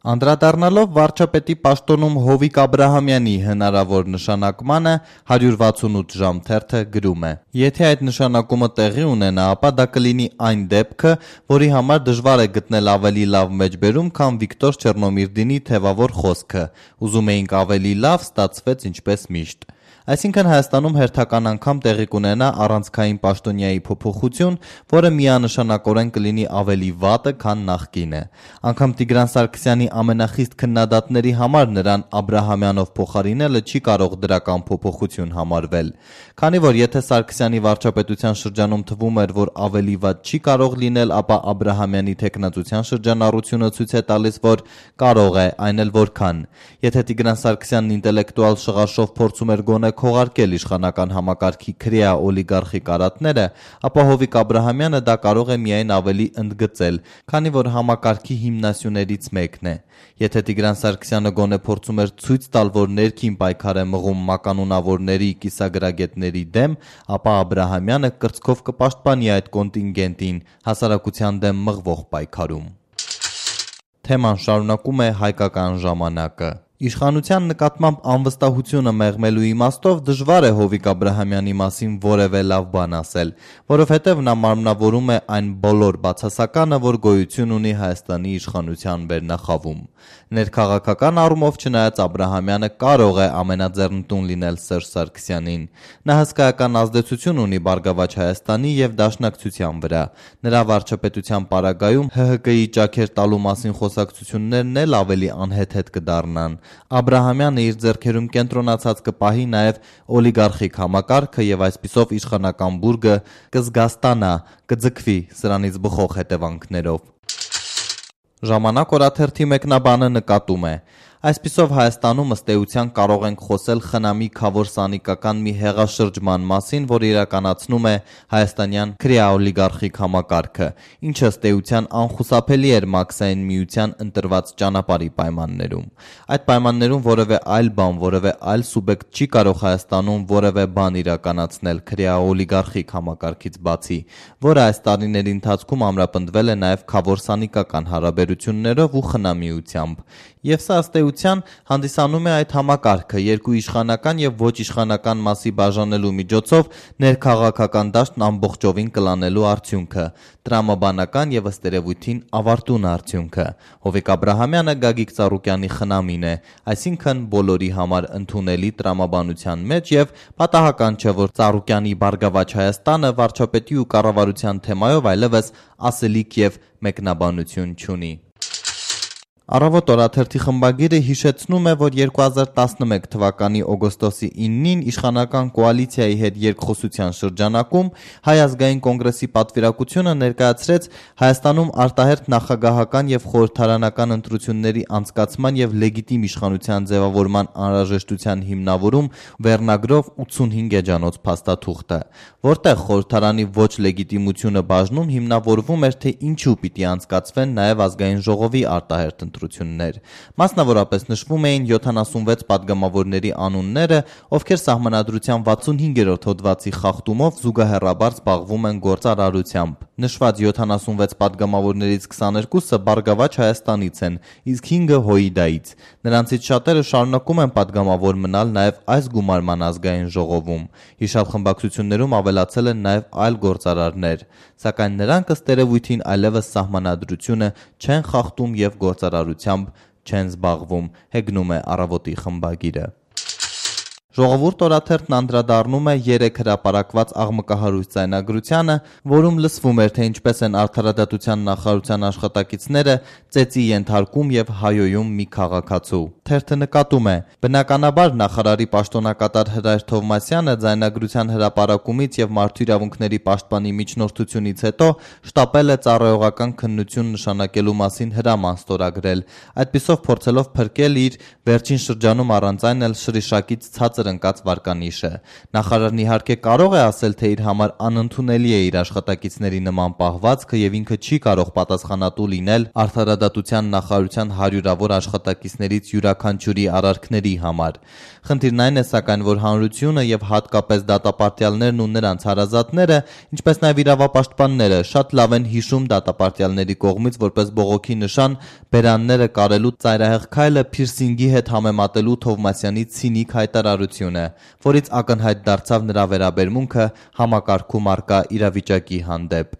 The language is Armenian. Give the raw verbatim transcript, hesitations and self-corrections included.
Անդրադառնալով վարչապետի պաշտոնում Հովիկ Աբրահամյանի հնարավոր նշանակմանը հարյուր վաթսունութ ժամ թերթը գրում է. Եթե այդ նշանակումը տեղի ունենա, ապա դա կլինի այն դեպքը, որի համար դժվար է գտնել ավելի լավ մեջբերում, քան Վիկտոր Չեռնոմիրդինի թևավոր խոսքը. ուզում էինք ավելի լավ, ստացվեց ինչպես միշտ։ Այսինքն Հայաստանում հերթական անգամ տեղի կունենա առանցքային պաշտոնյայի փոփոխություն, որը միանշանակորեն կլինի ավելի վատը, քան նախկինը։ Անգամ Տիգրան Սարգսյանի ամենախիստ քննադատների համար նրան Աբրահամյանով փոխարինելը չի կարող դրական փոփոխություն համարվել։ Քանի որ եթե Սարգսյանի վարչապետության շրջանում թվում էր, որ ավելի վատ չի կարող լինել, ապա Աբրահամյանի թեկնածության շրջանառությունը ցույց է տալիս, որ կարող է, այն էլ որքան։ Եթե Տիգրան Սարգսյանն ինտելեկտուալ շղարշով փորձում էր գոնե քողարկել իշխանական համակարգի քրեա օլիգարխի կարատները, ապա Հովիկ Աբրահամյանը դա կարող է միայն ավելի ընդգծել, քանի որ համակարգի հիմնասյուներից մեկն է։ Եթե Տիգրան Սարգսյանը գոնե փորձում էր ցույց տալ, որ ներքին պայքար է մղում մականունավորների, կիսագրագետների դեմ, ապա Աբրահամյանը կրծքով կպաշտպանի այդ կոնտինգենտին հասարակության դեմ մղվող պայքարում։ Թեման շարունակում է Հայկական ժամանակը։ Իշխանության նկատմամբ անվստահությունը մեղմելու իմաստով դժվար է Հովիկ Աբրահամյանի մասին որևէ լավ բան ասել, որովհետև նա մարմնավորում է այն բոլոր բացասականը, որ գոյություն ունի Հայաստանի իշխանության վերնախավում։ Ներքաղաքական առումով, չնայած Աբրահամյանը կարող է ամենաձեռնտուն լինել Սերժ Սարգսյանին, նա հսկայական ազդեցություն ունի Բարգավաճ Հայաստանի եւ Դաշնակցության վրա։ Նրա վարչապետության պարագայում Հ Հ Կի ճաքեր տալու մասին խոսակցություններն էլ ավելի անհեթեթ կդառնան։ Աբրահամյանը իր ձեռքերում կենտրոնացած կպահի նաև օլիգարխիկ համակարգը եւ այսպիսով իշխանական բուրգը կզգաստանա, կձգվի սրանից բխող հետևանքներով։ Ժամանակ օրաթերթի մեկնաբանը նկատում է. Այսպիսով Հայաստանում ըստ էության կարող ենք խոսել խնամի քավոր-սանիկական մի հեղաշրջման մասին, որ իրականացնում է հայաստանյան քրեա-օլիգարխիկ համակարգը, ինչը ըստ էության անխուսափելի էր Մաքսային միության ընտրված ճանապարհի պայմաններում։ Այդ պայմաններում որևէ այլ բան, որևէ այլ սուբյեկտ չի կարող Հայաստանում որևէ բան իրականացնել քրեա-օլիգարխիկ համակարգից բացի, որը այս տարիների ընթացքում ամրապնդվել է նաև քավոր-սանիկական հարաբերություններով ու խնամիությամբ։ Եվ սա ըստ էության հանդիսանում է այդ համակարգը երկու իշխանական եւ ոչ իշխանական մասի բաժանելու միջոցով ներքաղաքական դաշտն ամբողջովին կլանելու արդյունքը, տրամաբանական եւ ըստ երևույթին ավարտուն արդյունքը։ Հովիկ Աբրահամյանը Գագիկ Ծառուկյանի խնամին է, այսինքն բոլորի համար ընդունելի տրամաբանության մեջ եւ պատահական չէ, որ Ծառուկյանի Բարգավաճ Հայաստանը վարչապետի ու կառավարության թեմայով այլևս ասելիք եւ մեկնաբանություն չունի։ Առավոտ օրաթերթի խմբագիրը հիշեցնում է, որ երկու հազար տասնմեկ թվականի օգոստոսի իննին իշխանական կոալիցիայի հետ երկխոսության շրջանակում Հայ ազգային կոնգրեսի պատվիրակությունը ներկայացրեց Հայաստանում արտահերթ նախագահական եւ խորհրդարանական ընտրությունների անցկացման եւ լեգիտիմ իշխանության ձևավորման անհրաժեշտության հիմնավորում վերնագրով ութսունհինգ էջանոց փաստաթուղթը, որտեղ խորհրդարանի ոչ լեգիտիմությունը բաժնում հիմնավորվում էր, թե ինչու պիտի անցկացվեն նաեւ ազգային ժողովի արտահերթ ընտրություններ։ Մասնավորապես նշվում էին յոթանասունվեց падգամավորների անունները, ովքեր սահմանադրության վաթսունհինգերորդ հոդվածի խախտումով զուգահեռաբար զբաղվում են գործարարությամբ։ Նշված յոթանասունվեց падգամավորներից քսաներկուսը Բարգավաճ Հայաստանից են, իսկ հինգը Հոիդայից։ Նրանցից շատերը շարունակում են падգամավոր մնալ նաև այս գումարման ազգային ժողովում։ Հիշյալ խմբակցություններում ավելացել են նաև այլ գործարարներ, սակայն նրանք ըստ երևույթին այլևս սահմանադրությունը չեն խախտում եւ գործարարությամբ չեն զբաղվում, հեգնում է Առավոտի խմբագիրը։ Ժողովուրդ օրաթերթն անդրադառնում է երեք հրապարակված աղմկահարույց ձայնագրությանը, որում լսվում էր, թե ինչպես են արդարադատության նախարարության աշխատակիցները ծեծի ենթարկում եւ հայոյում մի քաղաքացու։ Թերթը նկատում է. բնականաբար նախարարի պաշտոնակատար Հրայր Թովմասյանը ձայնագրության հրապարակումից եւ մարդու իրավունքների պաշտպանի միջնորդությունից հետո շտապել է ծառայողական քննություն նշանակելու մասին հրաման ստորագրել, այդպիսով փորձելով փրկել իր վերջին շրջանում առանց այն էլ շրիշակից ցածր ընկած վարկանիշը։ Նախարարն իհարկե կարող է ասել, թե իր համար անընդունելի է իր աշխատակիցների նման պահվածքը եւ ինքը չի կարող պատասխանատու լինել արդարադատության նախարարության հարյուրավոր աշխատակիցներից յուրաքանչյուրի յուրաքանչյուրի արարքների համար։ Խնդիրն այն է սակայն, որ հանրությունը եւ հատկապես դատապարտյալներն ու նրանց հարազատները, ինչպես նաեւ իրավապաշտպանները, շատ լավ են հիշում դատապարտյալների կողմից որպես բողոքի նշան բերանները կարելու ծայրահեղ քայլը փիրսինգի հետ համեմատելու Թովմասյանի ցինիկ հայտարարությունը, որից ակնհայտ դարձավ նրա վերաբերմունքը համակարգում առկա իրավիճակի հանդեպ։